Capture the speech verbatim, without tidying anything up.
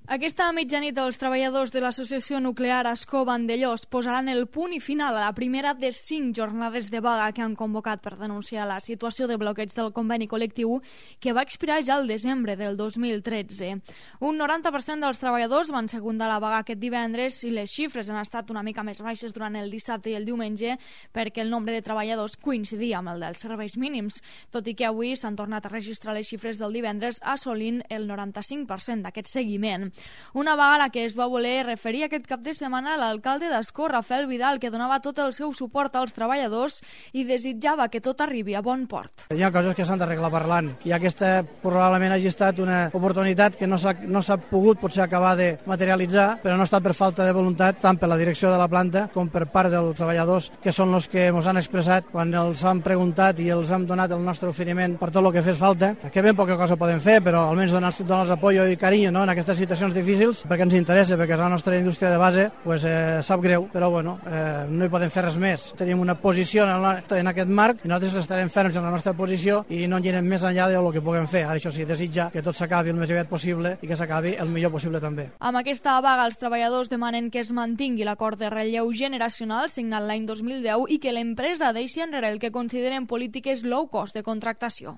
Aquesta mitjanit els treballadors de l'associació nuclear Ascó Vandellòs posaran el punt i final a la primera de cinc jornades de vaga que han convocat per denunciar la situació de bloqueig del conveni col·lectiu que va expirar ja el desembre del dos mil tretze. Un noranta per cent dels treballadors van secundar la vaga aquest divendres i les xifres han estat una mica més baixes durant el dissabte i el diumenge perquè el nombre de treballadors coincidia amb el dels serveis mínims, tot i que avui s'han tornat a registrar les xifres del divendres assolint el noranta-cinc per cent d'aquest seguiment. Una vaga a la que es va voler referir aquest cap de setmana l'alcalde d'Ascó, Rafael Vidal, que donava tot el seu suport als treballadors i desitjava que tot arribi a bon port. Hi ha coses que s'han d'arreglar parlant i aquesta probablement hagi estat una oportunitat que no s'ha no s'ha pogut potser acabar de materialitzar, però no ha estat per falta de voluntat tant per la direcció de la planta com per part dels treballadors, que són els que ens han expressat quan els han preguntat i els hem donat el nostre oferiment per tot el que fes falta, que ben poca cosa podem fer, però almenys donar-los donar apoyo i carinyo, no?, en aquestes situacions difícils, perquè ens interessa, perquè és la nostra indústria de base, pues, eh, sap greu, però bueno, eh, no hi podem fer res més. Tenim una posició en, la, en aquest marc i nosaltres estarem ferms en la nostra posició i no anirem més enllà del que puguem fer. Ara això sí, desitja que tot s'acabi el més aviat possible i que s'acabi el millor possible també. Amb aquesta vaga, els treballadors demanen que es mantingui l'acord de relleu generacional signat l'any dos mil deu i que l'empresa deixi enrere el que consideren polítiques low cost de contractació.